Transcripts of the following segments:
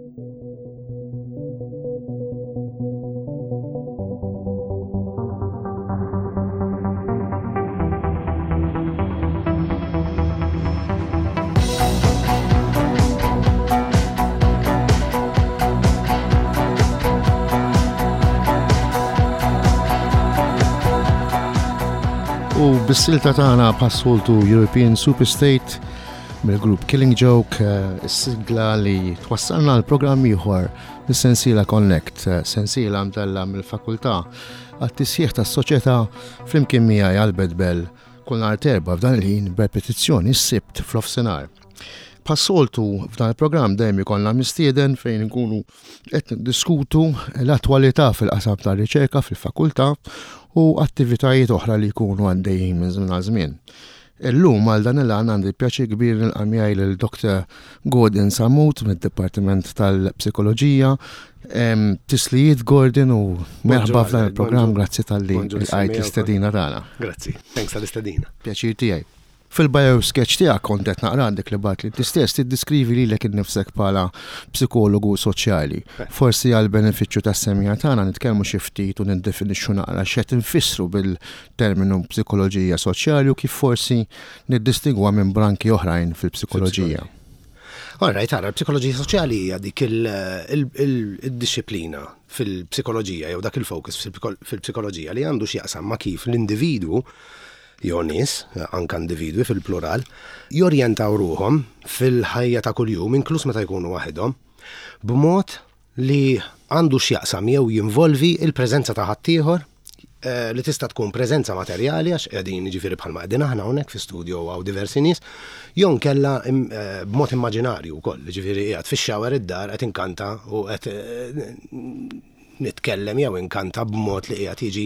U bis-silta tagħna bħas-soltu European Superstate mill-grupp Killing Joke, eh, is-sigla li twassalna l-programm ieħor mis-sensiela Connect, eh, sensiela mtella mill-fakultà għat-tisħiħ tas-soċjetà flimkien miegħi Albert Bell kull nhar terba f'dan il-ħin b'repetizzjoni s-Sibt fl-ofsinhar. Bħas-soltu f'dan il-programm dejjem ikollna mistieden fejn inkunu qed niddiskutu l-attwalità fil-qasam tar-riċerka fil-fakultà u attivitajiet oħra li jkunu għaddejjin minn żmien għal żmien. Illum għal dan il-għan għandi pjaċir kbir nilqa' miegħi lil Dr. Gordon Samut mid-Dipartiment tal-Psikoloġija. Tislijiet Gordon u merħba f'dan il-programm, grazzi talli lqajt l-istedina tagħna. Grazzi, thanks tal-istedina. Pjaċir tiegħi. Fil-bio sketch tiegħek kont qed naqra għandek li bagħat li inti stess tiddiskrivi lilek innifsek bħala psikologu soċjali. Forsi għal benefiċċju tas-semija tagħna nitkellmu xi ftit u niddefinixxu naqra x'qed infissru bil-terminu psikoloġija soċjali u kif forsi niddistingwa minn branki oħrajn fil-psikoloġija. All right, ara, l-psikoloġija soċjali hija dik il-dixxiplina fil-psikoloġija jew dak il-focus fil-psikoloġija li għandu x'jaqsam ma' kif l-individwu jew nies, anke individwi fil-plural, jorjentaw ruħhom fil-ħajja ta' kuljum, inkluż meta jkunu waħedhom, b'mod li għandu x'jaqsam jew jinvolvi l-preżenza ta' ħaddieħor, li tista' tkun preżenza materjali għax qegħdin jiġifieri bħalma qegħdin aħna hawnhekk fi studio hawn diversi nies, jew inkella b'mod immaġinarju wkoll, jiġifieri qiegħed fix-shower id-dar qed inkanta u qed nitkellem jew inkanta b'mod li qiegħed jiġi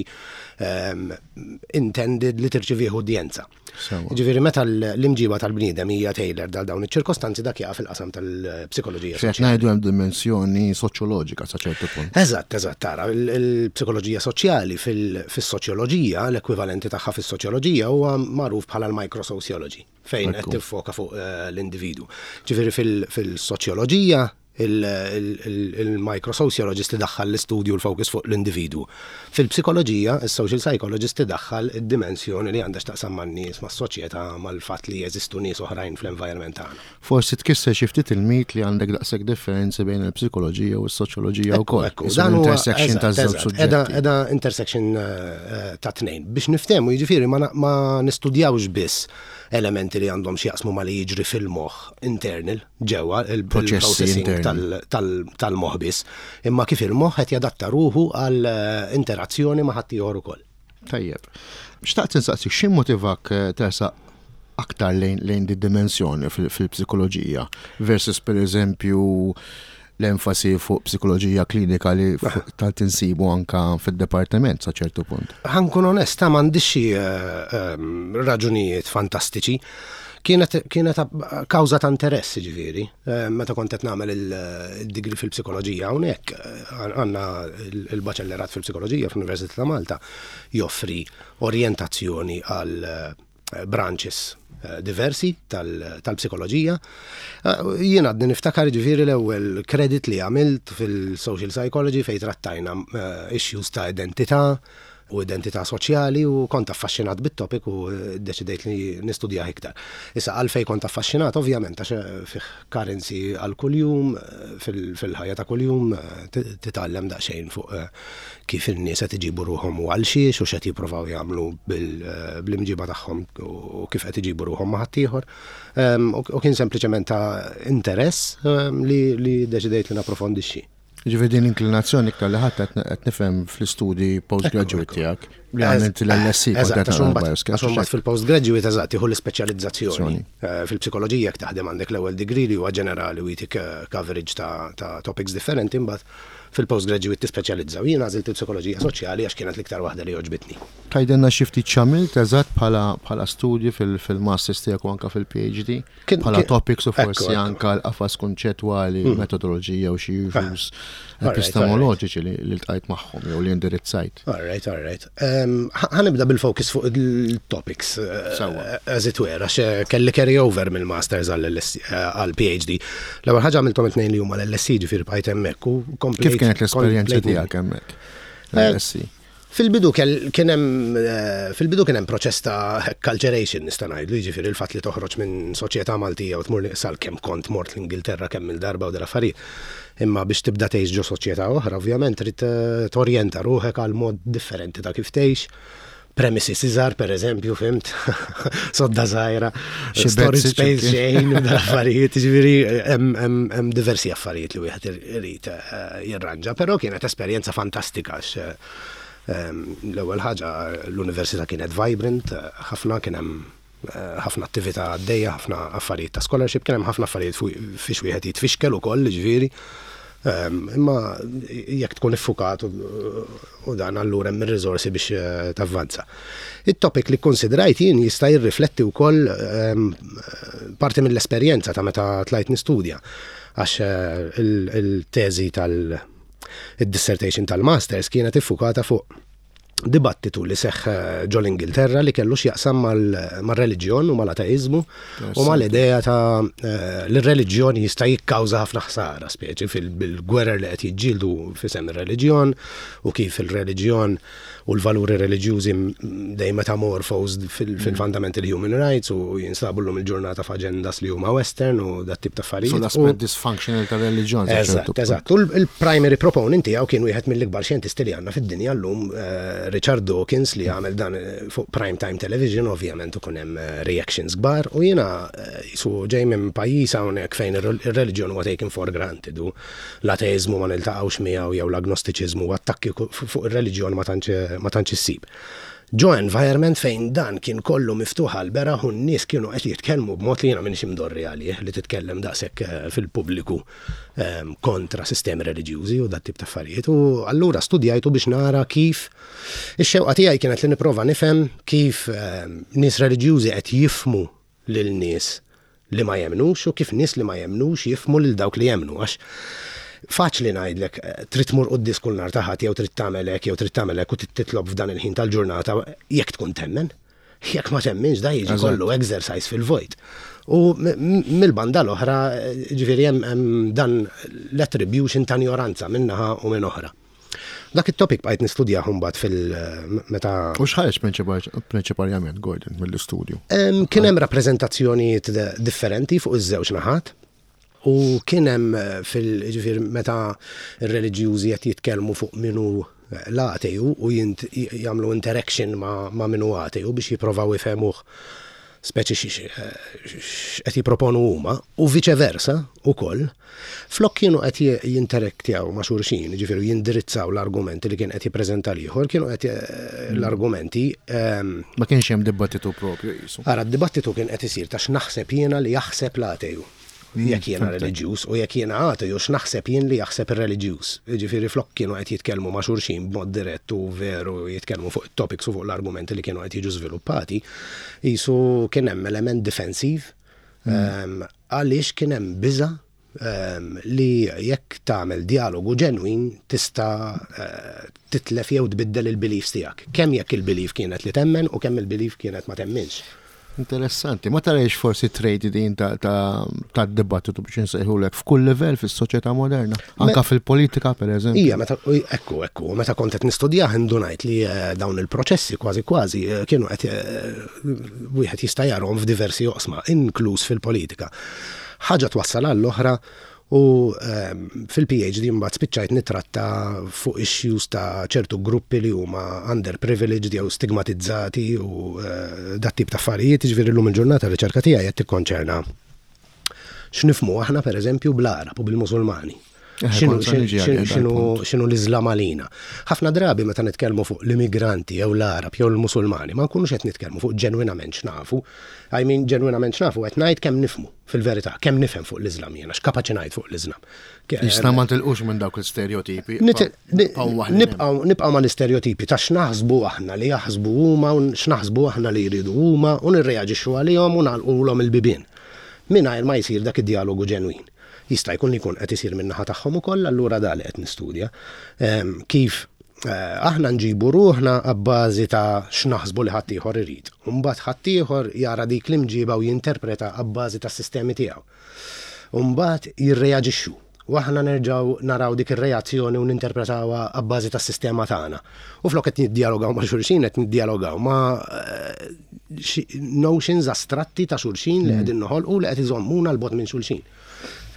intended li tirċivih udjenza. Ġifieri meta l-imġiba tal-bniedem hija tailored għal dawn iċ-ċirkostanzi dak jaqa' fil-qasam tal-psikoloġija. X'qed ngħidu hemm dimensjoni soċjoloġika sa ċertu punt. Eżatt, eżatt, tara, il-psikoloġija soċjali fis-soċjoloġija, l-ekwivalenti tagħha fis-soċjoloġija huwa magħruf bħala l-microsociology fejn qed tiffoka fuq eh, l-individu. Ġifieri fil-soċjoloġija il-microsociologist idaħħal l-istudju l-focus fuq l-individwu. Fil-psikoloġija, is-social psychologist idaħħal id-dimensjoni li għandha x'taqsam man-nies, mas-soċjetà, mal-fatt li jeżistu nies oħrajn fl-environment tagħna. Forsi tkisser xi ftit il-mit li għandek daqshekk differenzi bejn il-psikoloġija u s-soċjoloġija wkoll. Ekku, dan huwa intersection ta' żewġ suġġetti. Qiegħda intersection ta' tnejn. Biex niftehmu, jiġifieri ma nistudjawx biss elementi li għandhom x'jaqsmu ma' li jiġri fil-moħħ internal, ġewwa il-processing tal-moħħ biss, imma kif il-moħħ qed jadatta ruħu għal eh, interazzjoni ma' ħaddieħor ukoll. Tajjeb. Xtaqt insaqsik x'immotivak eh, tersaq aktar lejn di dimensjoni fil-psikoloġija versus per eżempju l-enfasi fuq psikoloġija klinika li eh. tant insibu anka fid-departiment sa ċertu punt. Ħankun onesta m'għandix xi eh, raġunijiet fantastiċi. Kienet, kienet kawża ta' interess ġifieri. Eh, meta kont qed nagħmel il-degree fil-psikoloġija hawnhekk għandna il-baċellerat fil-psikoloġija fl-Università ta' Malta joffri orjentazzjoni għal branches eh, diversi tal-psikoloġija. Eh, jien għadni niftakar ġifieri l-ewwel credit li għamilt fil-social psychology fejn trattajna eh, issues ta' identità u identità soċjali u kont affaxxinat bit-topic u deċidejt li nistudjah iktar. Issa għalfej kont affaxxinat ovvjament għax fih currency għal kuljum fil-ħajja ta' kuljum titgħallem daqsxejn fuq kif in-nies qed iġibu ruħhom u għal xiex u x'qed jippruvaw jagħmlu bl-imġiba tagħhom u kif qed iġibu ruħhom ma' ħaddieħor. U kien sempliċement ta' interess li deċidejt li napprofondixxi. Ġifieri din l-inklinazzjoni iktar li ħadd qed nifhem fl-istudji postgraduate tiegħek li għamilt l-LSC. Eżatt, għax imbagħad fil-postgraduate eżatt tieħu l-ispeċjalizzazzjoni. Eh, fil-psikoloġija jekk taħdem għandek l-ewwel degree li huwa ġenerali u jtik eh, coverage ta' topics differenti imbagħad fil-postgraduate tispeċjalizza u jien għażilt il-psikoloġija soċjali għax kienet l-iktar waħda li għoġbitni. Tgħidilna xi ftit x'għamilt eżatt bħala bħala studji fil-masters tiegħek u anke fil-PhD? Bħala topics u forsi anke l-qafas kunċettwali, metodoloġija u xi issues. epistemoloġiċi li ltqajt magħhom jew li indirizzajt. All right, all right. Ħa nibda bil-focus fuq il-topics, as it were, għax kelli carry over mill-masters għall-PhD. L-ewwel ħaġa għamilthom it-tnejn li huma l-LSE ġifieri bqajt hemmhekk u komplejt. Kif kienet l-esperjenza tiegħek hemmhekk? LSE. Fil-bidu kien hemm fil-bidu kien hemm proċess ta' acculturation nista' ngħidlu, jiġifieri l-fatt li toħroġ minn soċjetà Maltija u tmur sal kemm kont mort l-Ingilterra kemm il-darba u dal-affarijiet. Imma biex tibda tgħix ġo soċjetà oħra, ovvjament trid torjenta ruħek għal mod differenti ta' kif tgħix. Premises iżgħar, per eżempju, fhimt, sodda żgħira, storage space xejn, dal-affarijiet, ġifieri hemm diversi affarijiet li wieħed irid jirranġa, però kienet esperjenza fantastika għax l-ewwel ħaġa l-università kienet vibrant, ħafna kien hemm ħafna attività għaddejja, ħafna affarijiet ta' scholarship, kien hemm ħafna affarijiet fiex wieħed jitfixkel ukoll, ġifieri. Imma jekk tkun iffukat u dan allura hemm ir-riżorsi biex tavvanza. It-topic li kkonsidrajt jien jista' jirrifletti wkoll parti mill-esperjenza ta' meta tlajt nistudja għax il-teżi tal-dissertation tal-masters kienet iffukata fuq dibattitu li seħħ ġo l-Ingilterra li kellu x'jaqsam mar-reliġjon u mal-ateiżmu u mal-idea ta' li r-reliġjon jista' jikkawża ħafna ħsara, speċi fil-gwerer li qed jiġġieldu f'isem ir-reliġjon u kif il-reliġjon u l-valuri reliġjużi dejjem metamorphosed fil-fundamental human rights u jinsabu llum il-ġurnata f'agendas li huma western u dat tip ta' affarijiet. So l-aspett dysfunctional tar-reliġjon. Eżatt, eżatt. U l-primary proponent tiegħu kien wieħed mill-ikbar xjentisti li għandna fid-dinja llum, Richard Dawkins, li għamel dan fuq prime time television, ovvjament ikun hemm reactions kbar, u jiena jisu ġej minn pajjiż hawnhekk fejn ir-reliġjon huwa taken for granted u l-ateiżmu ma niltaqgħux miegħu jew l-agnostiċiżmu u attakki fuq ir-reliġjon ma tantx issib. Ġo environment fejn dan kien kollu miftuħ għall-beraħ u n-nies kienu qed jitkellmu b'mod li jiena m'iniex imdorri għalih li titkellem daqshekk fil-pubbliku kontra sistemi reliġjużi u dat-tip ta' affarijiet u allura studjajtu biex nara kif ix-xewqa tiegħi kienet li nipprova nifhem kif nies reliġjużi qed jifhmu lil nies li ma jemmnux u kif nies li ma jemmnux jifhmu lil dawk li jemmnu għax faċli ngħidlek trid tmur quddies kull nhar ta' Ħadd jew trid tagħmel hekk jew trid tagħmel hekk u trid titlob f'dan il-ħin tal-ġurnata jekk tkun temmen. Jekk ma temminx da jiġi kollu exercise fil-vojt. U mill-banda l-oħra, ġifieri hemm dan l-attribution ta' ignoranza minn naħa u minn oħra. Dak it-topic bqajt nistudjah imbagħad fil-meta. U x'ħareġ prinċipalment, Gordon, mill-istudju? Kien hemm rappreżentazzjonijiet differenti fuq iż-żewġ naħat. U kien hemm fil-ġifier meta r-reliġjużi qed jitkellmu fuq min hu l-ateju u jagħmlu interaction ma' min hu ateju biex jipprovaw ifehmuh speċi x'qed jipproponu huma u viċe versa ukoll, flok kienu qed jinteraktjaw ma' xulxin, jiġifieri jindirizzaw l-argumenti li kien qed jippreżenta l-ieħor, kienu qed l-argumenti. Ma kienx hemm dibattitu proprju qisu. Ara, d-dibattitu kien qed isir ta' x'naħseb jiena li jaħseb l-ateju. Jekk jiena reliġjuż u jekk jiena ateju x'naħseb jien li jaħseb ir-reliġjuż. Jiġifieri flok kienu qed jitkellmu ma' xulxin b'mod dirett u veru jitkellmu fuq it-topics u fuq l-argumenti li kienu qed jiġu żviluppati, qisu kien hemm element difensiv għaliex kien hemm biża' li jekk tagħmel djalogu ġenwin tista' titlef jew tbiddel il-beliefs tiegħek. Kemm jekk il-belief kienet li temmen u kemm il-belief kienet ma temminx. Interessanti. Ma tarajx forsi trade din ta' dibattitu biex insejħulek f'kull livell fis-soċjetà moderna, anka fil-politika per eżempju. Ija, meta ekku, ekku, meta kont qed nistudjah indunajt li eh, dawn il-proċessi kważi kważi eh, kienu qed eh, wieħed jista' jarhom f'diversi oqsma, inkluż fil-politika. Ħaġa twassal għall-oħra U fil-PhD mbagħad spiċċajt nittratta fuq issues ta' ċertu gruppi li huma underprivileged jew stigmatizzati u dat tip ta' affarijiet, jiġifieri llum il-ġurnata r-riċerka tiegħi qed tikkonċerna x'nifhmu aħna pereżempju bl-Għarab u bil-Musulmani. X'inhu l-Iżlam għalina? Ħafna drabi meta nitkellmu fuq l-immigranti jew l-Għarab jew l-Musulmani ma nkunux qed nitkellmu fuq ġenwinament x'nafu. I mean ġenwinament x'nafu qed ngħid kemm nifhmu. Fil-verità, kemm nifhem fuq l-Iżlam jiena, x'kapaċi ngħid fuq l-Iżlam. Jista' ma tilqux minn dawk l-istereotipi. Nibqgħu ma' l-istereotipi ta' x'naħsbu aħna li jaħsbu huma u x'naħsbu aħna li jridu huma u nirreaġixxu għalihom u nagħlqulhom il-bibien. Mingħajr ma jsir dak id-djalogu ġenwin. Jista' jkun li jkun qed isir min-naħa tagħhom ukoll, allura da li qed nistudja. Kif aħna nġibu ruħna abbażi ta' x'naħsbu li ħaddieħor irid. U mbagħad ħaddieħor jara dik l-imġiba u jinterpreta abbażi tas-sistemi tiegħu. U mbagħad jirreaġixxu. U aħna nerġgħu naraw dik ir-reazzjoni u ninterpretawha abbażi tas-sistema tagħna. U flok qed niddjalogaw ma' xulxin qed niddjalogaw ma' notions astratti ta' xulxin li qegħdin noħolqu li qed iżommuna 'l bogħod minn xulxin.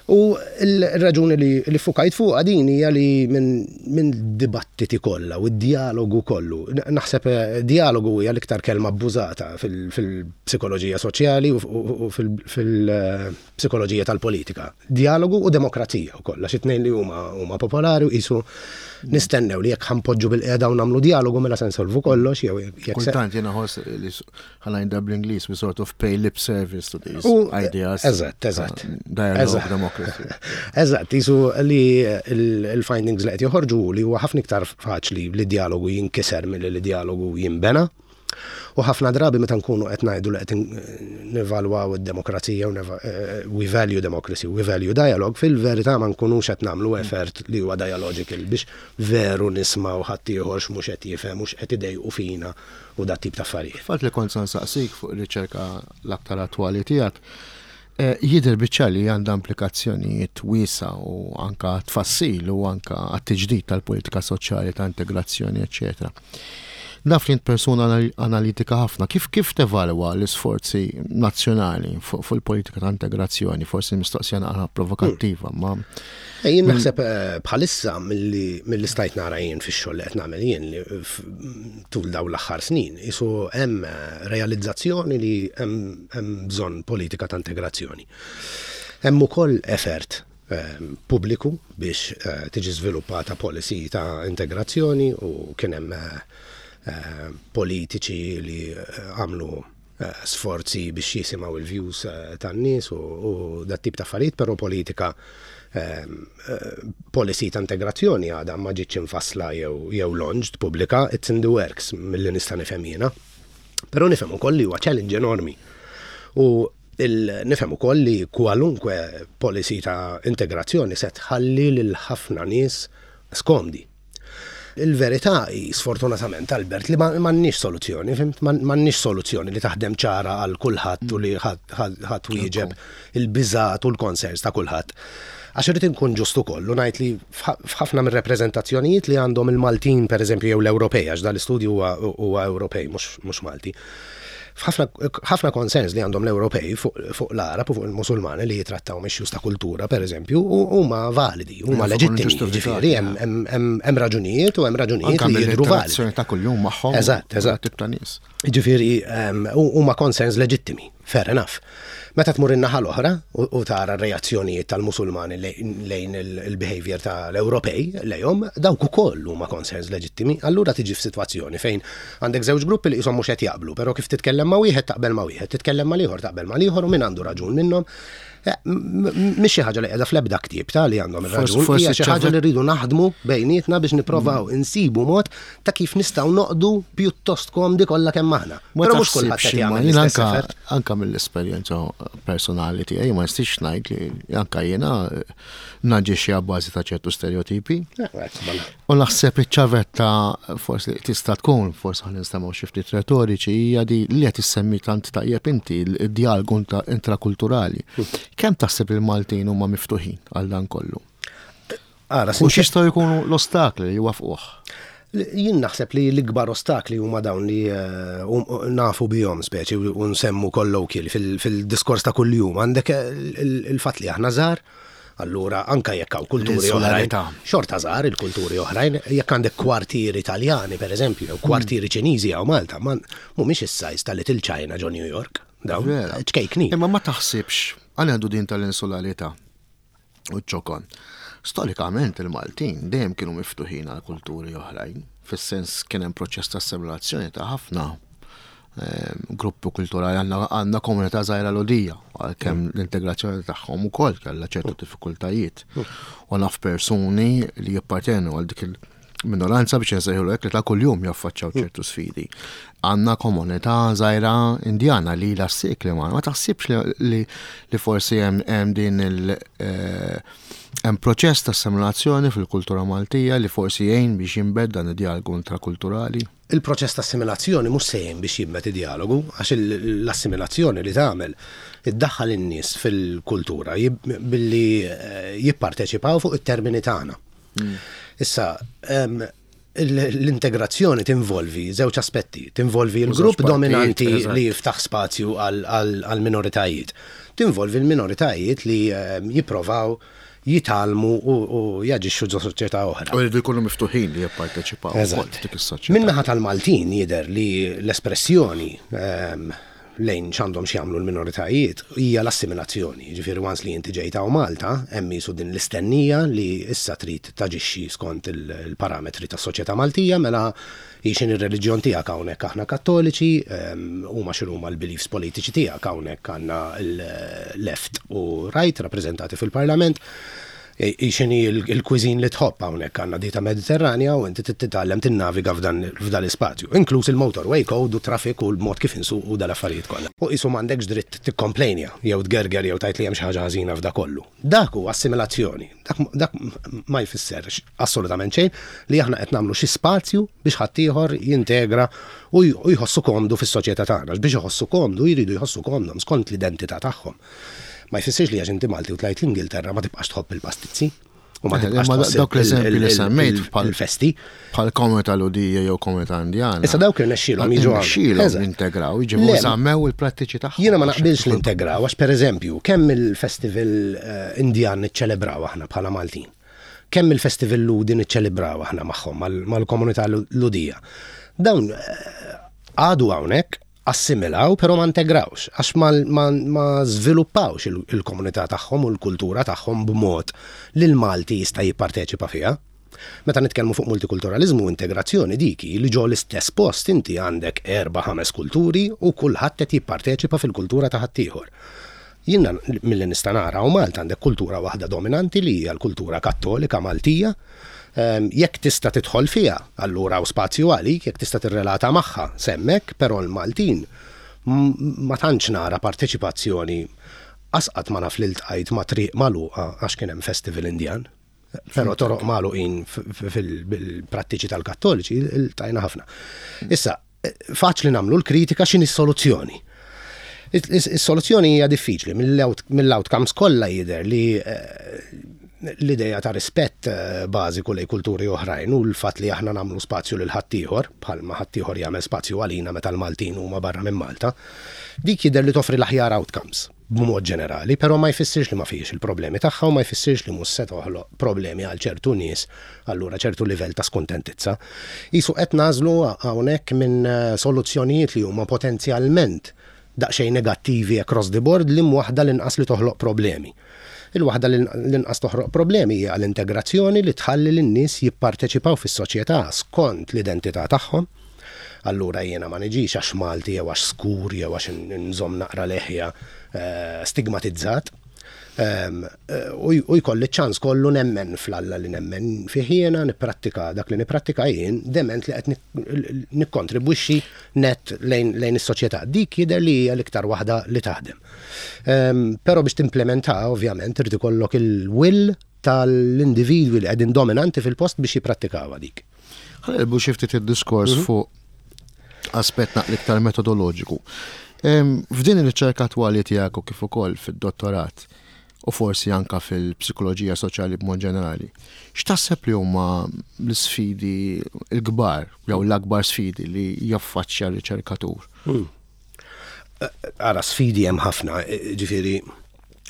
U l-raġuni li ffukajt fuqha din hija li minn dibattiti kollha u d-djalogu kollu, naħseb djalogu hija l-iktar kelma abbużata fil-psikoloġija soċjali u fil-psikoloġija tal-politika. Djalogu u demokrazija wkoll, għax it-tnejn li huma huma popolari u qisu nistennew li jekk ħa npoġġu bilqiegħda u nagħmlu djalogu mela se nsolvu kollox jew jekk Kultant jiena ħoss li ħa ngħidha bl-Ingliż, we sort of pay lip service to these ideas. Eżatt, eżatt. Dialogue, democracy. Eżatt, jisu li il-findings li qed joħorġu li huwa ħafna iktar faċli li dialogu jinkiser milli li dialogu jinbena. U ħafna drabi meta nkunu qed ngħidu li qed nevalwaw id-demokrazija u we value democracy, we value dialogue, fil-verità ma nkunux qed nagħmlu effort li huwa dialogical biex veru nismgħu ħaddieħor x'mhux qed jifhem u x'qed idejqu fina u dat tip ta' affarijiet. Fatt li kont se nsaqsik fuq ir-riċerka l-aktar attwali tiegħek, jidher biċ-ċar li għandha implikazzjonijiet wiesgħa u anka tfassil u anka għat-tiġdid tal-politika soċjali ta' integrazzjoni, eċċetera. Naf li int persuna analitika ħafna, kif kif tevalwa l-isforzi nazzjonali fuq il-politika ta' integrazzjoni? Forsi mistoqsija naqra provokattiva, ma Jien naħseb bħalissa milli stajt nara jien fix-xogħol li qed nagħmel jien li tul dawn l-aħħar snin, isu hemm realizzazzjoni li hemm bżonn politika ta' integrazzjoni. Hemm ukoll effort pubbliku biex tiġi żviluppata policy ta' integrazzjoni u kien hemm politiċi li għamlu sforzi biex jisimgħu il-views tan-nies u dat tip ta' affarijiet, però politika policy ta' integrazzjoni għadha ma ġietx infassla jew launched pubblika, it's in the works milli nista' nifhem jiena. Però nifhem ukoll li huwa challenge enormi. U nifhem ukoll li kwalunkwe policy ta' integrazzjoni se tħalli lil ħafna nies skomdi. Il-verità hi, sfortunatament, Albert, li m'għandniex soluzzjoni, fhimt? M'għandniex soluzzjoni li taħdem ċara għal kulħadd u li ħa twieġeb il-biżgħat u l-concerns ta' kulħadd. Għax irrid inkun ġust ukoll u ngħid li f'ħafna mir-reprezentazzjonijiet li għandhom il-Maltin, pereżempju, jew l-Ewropej, għax dal-istudju huwa Ewropej mhux Malti. Ħafna concerns li għandhom l-Ewropej fuq l-Arab u fuq il-Musulmani li jitrattaw issues ta' kultura, per eżempju, huma validi, huma leġittimi, ġifieri hemm raġunijiet u hemm raġunijiet li jidhru validi. Ta' kuljum magħhom. Eżatt. Tip ta' nies. Ġifieri huma concerns leġittimi, fair enough. Meta tmur in-naħa l-oħra u tara r-reazzjonijiet tal-Musulmani lejn il-behavior tal-Ewropej lejhom, dawk ukoll huma concerns leġittimi. Allura tiġi f'sitwazzjoni fejn għandek żewġ gruppi li qishom mhux qed jaqblu, però kif titkellem ma' wieħed taqbel ma' wieħed, titkellem ma' ieħor taqbel ma' ieħor u min għandu raġun minnhom. Mhix xi ħaġa li qiegħda fl-ebda ktieb ta' li għandhom ir-raġun, hija xi ħaġa li rridu naħdmu bejnietna biex nipprovaw insibu mod ta' kif nistgħu noqdu pjuttost komdi kollha kemm aħna. Ma Però mhux kulħadd qed taħsibx imma jagħmel jien l-istess anka effort. anka mill-esperjenza personali tiegħi ma nistax ngħid li anka jiena naġixxi għabbażi ta' ċertu stereotipi. U naħseb iċ-ċavetta forsi li tista' tkun, forsi ħa ninstemgħu xi ftit retoriċi, hija di li qed issemmi tant tajjeb inti, il-dialogu intrakulturali. Kemm taħseb il-Maltin huma miftuħin għal dan kollu? Ara, U x'jistgħu jkunu l-ostakli li jwafquh? Jien naħseb li l-ikbar ostakli huma dawn li nafu bihom speċi u nsemmu colloquial fil-diskors ta' kuljum. Għandek il-fatt li aħna żgħar, allura anka jekk hawn kulturi oħrajn, L-insularità. xorta żgħar il-kulturi oħrajn, jekk għandek kwartieri Italjani pereżempju, jew kwartieri Ċiniżi hawn Malta, ma mhumiex is-size ta' Little China ġo New York, dawn ċkejknin. Imma ma taħsibx, għal għandu din tal-insularità u ċokon. Storikament il-Maltin dejjem kienu miftuħin għal kulturi oħrajn, fis-sens kien hemm proċess ta' assimilazzjoni ta' ħafna gruppi kulturali, għandna komunità żgħira Lhudija, għalkemm l-integrazzjoni tagħhom ukoll kellha ċertu diffikultajiet. U naf persuni li jippartenu għal dik minoranza biex nsejħulu hekk li ta' kuljum jaffaċċaw ċertu sfidi. Għandna komunità żgħira Indjana li ilha sekli ma ma taħsibx li li forsi hemm din il eh, hemm proċess ta' assimilazzjoni fil-kultura Maltija li forsi jgħin biex jinbed dan id-dialogu intrakulturali? Il-proċess ta' assimilazzjoni mhux se jgħin biex jinbet id-dialogu, għax l-assimilazzjoni li tagħmel iddaħħal in-nies fil-kultura billi eh, jipparteċipaw fuq it-termini tagħna. Issa, l-integrazzjoni tinvolvi żewġ aspetti, tinvolvi l-grupp dominanti li jiftaħ spazju għal minoritajiet, tinvolvi l-minoritajiet li jipprovaw jitgħallmu u jaġixxu ġo soċjetà oħra. U jridu jkunu miftuħin li jipparteċipaw f'dik is-soċjetà. Min-naħa tal-Maltin jidher li l-espressjoni lejn x'għandhom x'jagħmlu l-minoritajiet hija l-assimilazzjoni. Jiġifieri once li inti ġejt hawn Malta, hemm qisu din l-istennija li issa trid taġixxi skont il-parametri tas-soċjetà Maltija, mela hi x'inhi r-reliġjon tiegħek hawnhekk aħna Kattoliċi, huma x'inhuma l-beliefs politiċi tiegħek hawnhekk għandna l-left u right rappreżentati fil-Parlament. Hi x'inhi l-cuisine li tħobb hawnhekk għandna dieta Mediterranja u inti trid titgħallem tinnaviga f'dan l-ispazju, inkluż il-motorway code u t-traffic u l-mod kif insuqu u dal-affarijiet kollha. U qisu m'għandekx dritt tikkomplejnja jew tgerger jew tgħid li hemm xi ħaġa ħażina f'da kollu. Dak hu assimilazzjoni. Dak dak ma jfisser assolutament xejn li aħna qed nagħmlu xi spazju biex ħaddieħor jintegra u jħossu komdu fis-soċjetà tagħna. Għax biex iħossu komdu jridu jħossu komdhom skont l-identità tagħhom. Ma jfissirx li għax inti Malti u tlajt l-Ingilterra ma tibqax tħobb il-pastizzi. U ma eh, tibqax tħobb dawk l-eżempji li semmejt bħal-festi. Bħal komunità Ludija jew komunità Indjana. Issa dawk irnexxielhom jiġu irnexxielhom integraw, jiġu żammew il-prattiċi tagħhom. Jiena ma naqbilx li integraw għax pereżempju kemm il-festival eh, Indjan niċċelebraw aħna bħala Maltin. Kemm il-festival Ludi niċċelebraw aħna magħhom mal-komunità Ludija. Dawn eh, għadu hawnhekk assimilaw però ma integrawx għax ma, ma, ma żviluppawx il-komunità tagħhom u l-kultura tagħhom b'mod li l-Malti jista' jipparteċipa fiha. Meta nitkellmu fuq multikulturaliżmu u integrazzjoni dik hi li ġo l-istess post inti għandek erba' ħames kulturi u kulħadd qed jipparteċipa fil-kultura ta' ħaddieħor. Jiena milli nista' nara hawn Malta għandek kultura waħda dominanti li hija l-kultura Kattolika Maltija. Jekk tista' tidħol fiha, allura hawn spazju għalik, jekk tista' tirrelata magħha, s'hemmhekk, però l-Maltin ma tantx nara parteċipazzjoni qas qatt ma naf li ltqajt ma' triq magħluqa għax kien hemm festival Indjan. Però toroq magħluqin fil-prattiċi tal-Kattoliċi ltqajna ħafna. Issa, faċli nagħmlu l-kritika x'inhi s-soluzzjoni. Is-soluzzjoni hija diffiċli, mill-outcomes kollha jidher li eh, l-ideja ta' rispett eh, bażiku lej kulturi oħrajn u l-fatt li aħna nagħmlu spazju lil ħaddieħor, bħalma ħaddieħor jagħmel spazju għalina meta l-Maltin huma barra minn Malta, dik jidher li toffri l-aħjar outcomes. b'mod ġenerali, però ma jfissirx li ma fihiex il-problemi tagħha u ma jfissirx li mhux se toħloq problemi għal ċertu nies, allura ċertu livell ta' skuntentizza. Qisu qed nagħżlu hawnhekk minn soluzzjonijiet li huma potenzjalment daqsxejn negattivi across the board liem waħda l-inqas li toħloq problemi. Il-waħda li l-inqas toħroq problemi hija l-integrazzjoni li tħalli lin-nies jipparteċipaw fis-soċjetà skont l-identità tagħhom. Allura jiena ma niġix għax Malti jew għax skur jew għax nżomm naqra leħja stigmatizzat. U jkolli ċ-ċans kollu nemmen fl-Alla li nemmen fih jiena, nipprattika dak li nipprattika jien, dement li qed nikkontribwixxi nett lejn is-soċjetà. Dik jidher li hija l-iktar waħda li taħdem. Però biex timplementaha ovvjament irid ikollok il-will tal-individwi li qegħdin dominanti fil-post biex jipprattikawha dik. Ħa nqilbu xi ftit id-diskors mhm. fuq aspett naqra iktar metodoloġiku. F'din ir-riċerka attwali tiegħek u kif ukoll fid-dottorat u forsi anka fil-psikoloġija soċjali b'mod ġenerali, x'taħseb li huma l-isfidi l-kbar jew l-akbar sfidi li jaffaċċja r-riċerkatur? Hmm. Ara, sfidi hemm ħafna, ġifieri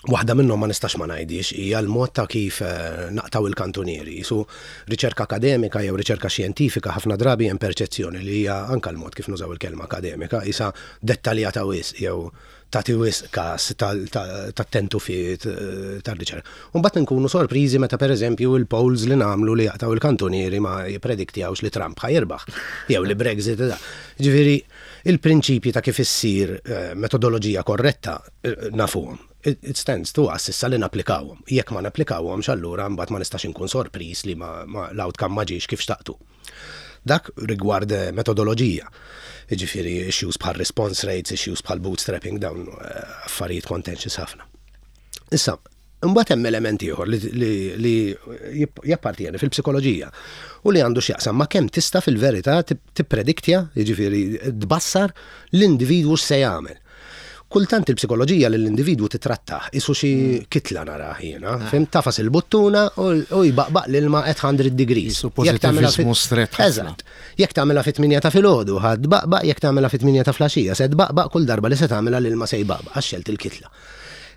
waħda minnhom ma nistax ma ngħidix hija l-mod ta' kif eh, naqtaw il-kantunieri. Su riċerka akademika jew riċerka xjentifika ħafna drabi hemm perċezzjoni li hija anka l-mod kif nużaw il-kelma akademika isa dettaljata wisq jew tagħti wisq każ tat-tentufiet eh, tar-riċerka. U mbagħad nkunu sorpriżi meta pereżempju il-polls li nagħmlu li jaqtaw il-kantunieri ma jipprediktjawx li Trump ħa jirbaħ jew li Brexit. Ġifieri il-prinċipji ta' kif issir eh, metodoloġija korretta eh, nafuhom. It stands to us issa li napplikawhom. Jekk ma napplikawhomx allura mbagħad ma nistax inkun sorpriż li l-outcome ma ġiex kif xtaqtu. Dak rigward metodoloġija. Jiġifieri issues bħal response rates, issues bħal bootstrapping, dawn affarijiet contentious ħafna. Issa, imbagħad hemm element ieħor li jappartieni fil-psikoloġija u li għandu x'jaqsam ma' kemm tista' fil-verità tipprediktja, jiġifieri tbassar l-individwu x'se jagħmel. Kultant il-psikoloġija lill-individwu titrattah qisu xi kitla narah jiena, fhimt, tagħfas il-buttuna u jbaqbaq l-ilma at 100 degrees. Qisu pożittiviżmu strett ħafna. Eżatt. Jekk tagħmilha fit-tmienja ta' filgħodu ħa tbaqbaq, jekk tagħmilha fit-tmienja ta' flaxija se tbaqbaq, kull darba li se tagħmilha l-ilma se jbaqbaq għax xelt il-kitla.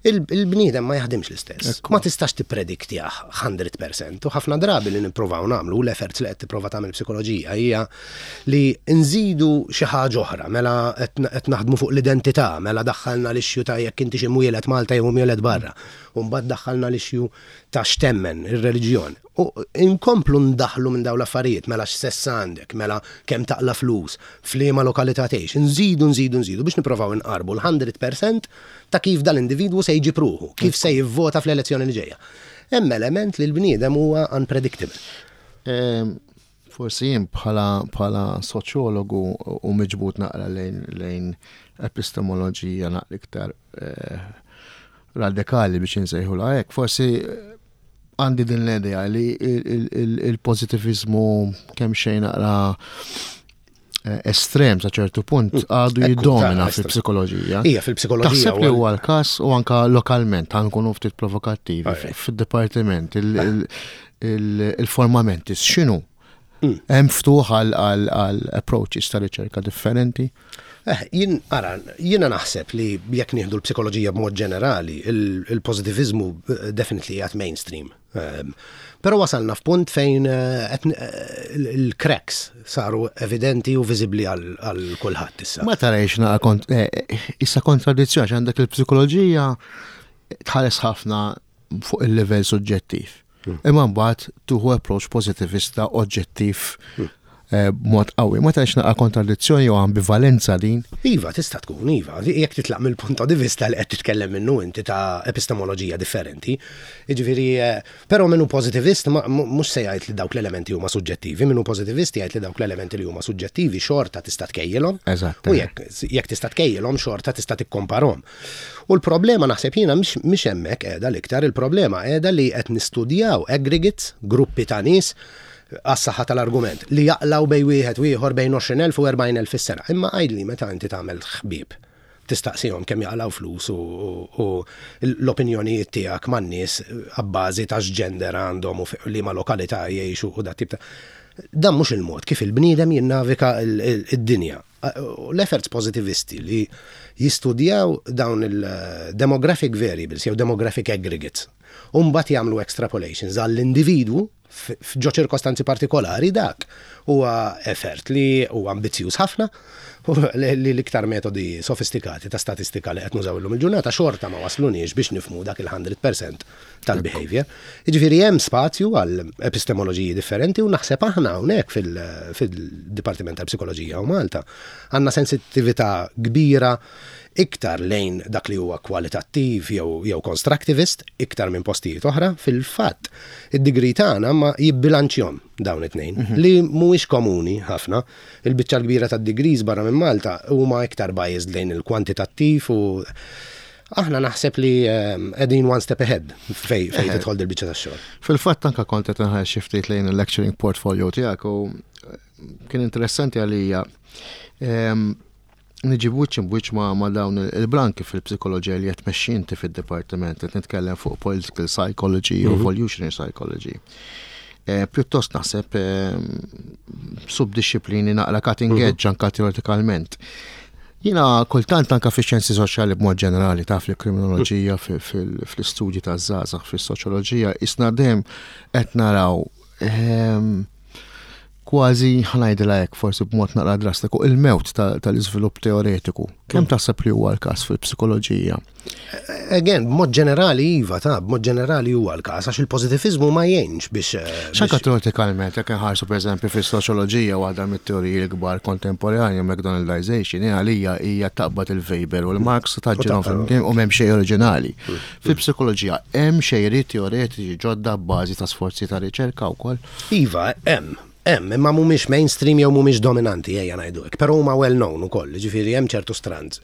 Il-bniedem ma jaħdimx l-istess. Ma tistax tipprediktjah 100% u ħafna drabi li nippruvaw nagħmlu u l-efforts li qed tipprova tagħmel psikoloġija hija li nżidu xi ħaġa oħra, mela qed naħdmu fuq l-identità, mela daħħalna l-issue ta' jekk inti xi mwieled Malta jew mwieled barra, u mbagħad daħħalna l-issue ta' x'temmen, ir-reliġjon. U nkomplu ndaħħlu minn dawn l-affarijiet, mela x'sess għandek, mela kemm taqla' flus, f'liema lokalità tgħix, nżidu, nżidu, nżidu biex nipprovaw inqarrbu l-100% ta' kif dal-individwu se jġib ruħu, kif se jivvota fl-elezzjoni li ġejja. Hemm element li l-bniedem huwa unpredictable. Forsi jien bħala bħala soċjologu u miġbud naqra lejn lejn epistemoloġija naqra iktar eh, radikali biex insejħulha hekk, forsi għandi din l-idea li il-pozitivizmu kemm xejn naqra eh, estrem sa ċertu punt mm. għadu jiddomina fil-psikoloġija. Ija, fil-psikoloġija. Taħseb li huwa l-każ u anka lokalment għan nkunu ftit provokattivi fil-dipartiment il-formament x'inhu? Mm. Hemm ftuħ għal approaches ta' riċerka differenti? Eh, jien ara, jiena naħseb li jekk nieħdu l-psikoloġija b'mod ġenerali, il-pożitiviżmu eh, definitely qiegħed mainstream. Ehm, però wasalna f'punt fejn eh, il-cracks saru evidenti u viżibbli għal kulħadd issa. Ma tarajx naqa issa kontradizzjoni għax għandek il-psikoloġija tħares ħafna fuq il-livell suġġettiv. Hmm. Imma mbagħad tuħu approach pozitivista oġġettiv hmm. eh, b'mod qawwi. Ma tantx naqa' kontradizzjoni jew ambivalenza din? Iva, tista' tkun, iva. Jekk titlaq mill-punt di vista li qed titkellem minnu inti ta' epistemoloġija differenti. Jiġifieri, eh, però minnu pozitivist mhux se jgħid li dawk l-elementi huma suġġettivi, minnu pozitivist jgħid li dawk l-elementi li huma suġġettivi xorta tista' tkejjilhom. Eżatt. U jekk jekk tista' tkejjilhom xorta tista' tikkomparhom. U l-problema naħseb jiena mhix hemmhekk qiegħda l-iktar, il-problema qiegħda li qed nistudjaw aggregates, gruppi ta' nies, għas-saħħa tal-argument, li jaqlgħu bejn wieħed u ieħor bejn 20,000 u 40,000 fis-sena. Imma għidli meta inti tagħmel ħbieb, tistaqsihom kemm jaqlgħu flus u l-opinjonijiet tiegħek man-nies abbażi ta' x'gender għandhom u liema lokalità jgħixu u dat-tip ta' Dan mhux il-mod kif il-bniedem jinnavika d-dinja. L-efforts positivisti li jistudjaw dawn il-demographic variables jew demographic aggregates u mbagħad jagħmlu extrapolations għall-individwu f'ġo ċirkostanzi partikolari dak huwa effort li huwa ambizzjuż ħafna u li l-iktar metodi sofistikati ta' statistika li qed nużaw illum il-ġurnata xorta ma wasluniex biex nifhmu dak il-100% tal-behavior. Jiġifieri hemm spazju għal epistemoloġiji differenti u naħseb aħna hawnhekk fil-Dipartiment tal-Psikoloġija u Malta għandna sensittività kbira iktar lejn dak li huwa kwalitattiv jew jew constructivist iktar minn postijiet oħra. Fil-fatt, id-degree tagħna ma jibbilanċjhom dawn it-tnejn mhm. li mhuwiex komuni ħafna. Il-biċċa l-kbira tad-degrees barra minn Malta huma iktar biased lejn il-kwantitattiv u Aħna naħseb li ehm, qegħdin one step ahead fej fej tidħol dil-biċċa tax-xogħol. Fil-fatt anka kont qed inħares xi ftit lejn il-lecturing portfolio tiegħek u eh, kien interessanti għalija ehm, niġi b'wiċċ imb'wiċċ ma' ma' dawn il-branki fil-psikoloġija li qed tmexxi inti fid-dipartiment, qed nitkellem fuq political psychology u mhm. evolutionary psychology. Eh, pjuttost naħseb ehm, subdisciplini naqra cutting mhm. edge anka teoretikalment. Jiena kultant anka fix-xjenzi soċjali b'mod ġenerali taf li kriminoloġija fl-istudji taż-żgħażagħ fis-soċjoloġija isna dejjem qed naraw ehm, Kważi ħa ngħidilha hekk forsi b'mod naqra drastiku, il-mewt tal-iżvilupp teoretiku. Kemm mm. taħseb li huwa l-każ fil-psikoloġija? Again, b'mod ġenerali iva, ta' b'mod ġenerali huwa l-każ għax il-pożittivizmu ma jgħinx biex. Eh, X'anka teoretikalment, jekk inħarsu pereżempju fis-soċjoloġija waħda mit-teoriji l-kbar kontemporanju McDonaldization għalija hija taqbad il-Weber u l-Marx taġġilhom flimkien u m'hemm xejn oriġinali. Mm. Fil-psikoloġija hemm xejriet teoretiċi ġodda b'bażi ta' sforzi ta' riċerka wkoll. Iva, hemm, hemm, imma mhumiex mainstream jew mhumiex dominanti ejja ngħidu hekk, però huma well known ukoll, jiġifieri hemm ċertu strands.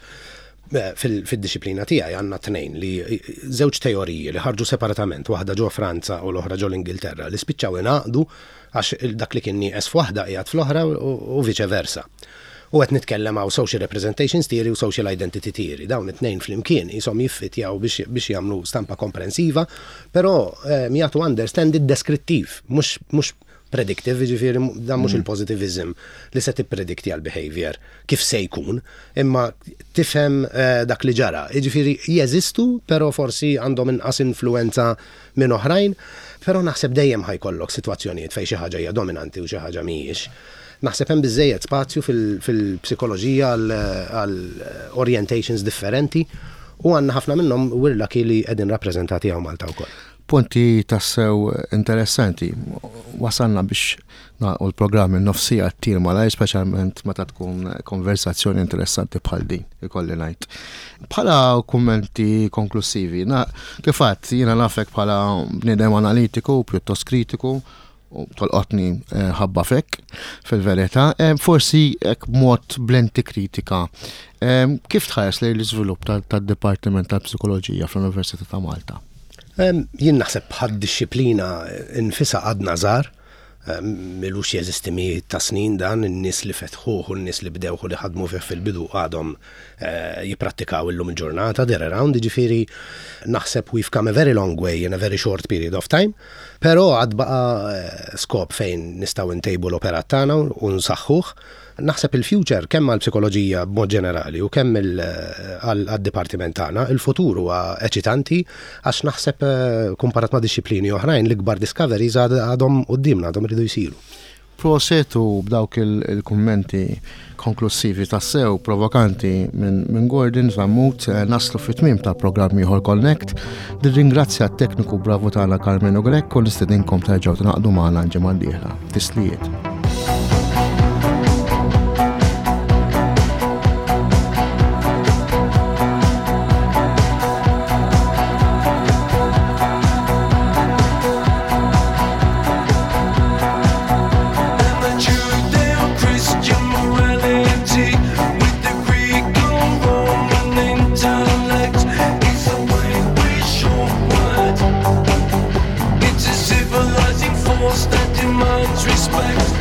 Eh, fil-dixxiplina tiegħi għandna tnejn li żewġ teoriji li ħarġu separatament, waħda ġo Franza u l-oħra ġo l-Ingilterra, li spiċċaw ingħaqdu għax dak li kien nieqes f'waħda qiegħed fl-oħra u viċe versa. U qed nitkellem hawn social representations theory u social identity theory. Dawn it-tnejn flimkien qishom jiffitjaw biex biex jagħmlu stampa komprensiva, però ehm, jagħtu understanding deskrittiv, mhux mhux predictive, jiġifieri dan mhux mm. il-positivism li se tippredikti għal behavior kif se jkun, imma tifhem eh, dak li ġara. Jiġifieri jeżistu, però forsi għandhom inqas influenza minn oħrajn, però naħseb dejjem ħajkollok sitwazzjonijiet fejn xi ħaġa hija dominanti u xi ħaġa mhijiex. Naħseb hemm biżżejjed spazju fil-psikoloġija għal orientations differenti u għandna ħafna minnhom we're lucky li qegħdin rappreżentati hawn Malta wkoll. Punti tassew interessanti. Wasalna biex nagħlqu l-programm in-nofsija ttir malajr, speċjalment meta tkun konversazzjoni interessanti bħal din, ikolli ngħid. Bħala kummenti konklusivi, kif għedt, jiena nafek bħala bniedem analitiku, pjuttost kritiku, u tolqotni eh, ħabba fek fil-verità, eh, forsi hekk b'mod blenti kritika. Eh, kif tħares lejn l-iżvilupp tad-Dipartiment tal-Psikoloġija fl-Università ta' Malta? Jien naħseb bħad dixxiplina nfisha għadna żgħar, milux jeżisti mijiet ta' snin dan, in-nies li fetħuh u n-nies li bdewh u li ħadmu fih fil-bidu għadhom jipprattikaw illum il-ġurnata, they're around, jiġifieri naħseb we've come a very long way in a very short period of time, però għad baqa' skop fejn nistgħu ntejbu l-operat tagħna u nsaħħuh. Naħseb il-future kemm għall-psikoloġija b'mod ġenerali u kemm għad-dipartiment tagħna, il-futur huwa eċitanti għax naħseb kumparat ma' dixxiplini oħrajn l-ikbar discoveries għadhom quddiemna, għadhom iridu jsiru. Proset u b'dawk il-kummenti konklussivi tassew provokanti minn Gordon Zammut eh, naslu fit-tmiem ta' programm ieħor Connect. Nirringrazzja t-tekniku bravu tagħna Carmenu Grech u nistedinkom terġgħu tingħaqdu magħna l-ġimgħa d-dieħla. Tislijiet. It's a civilizing force that demands respect.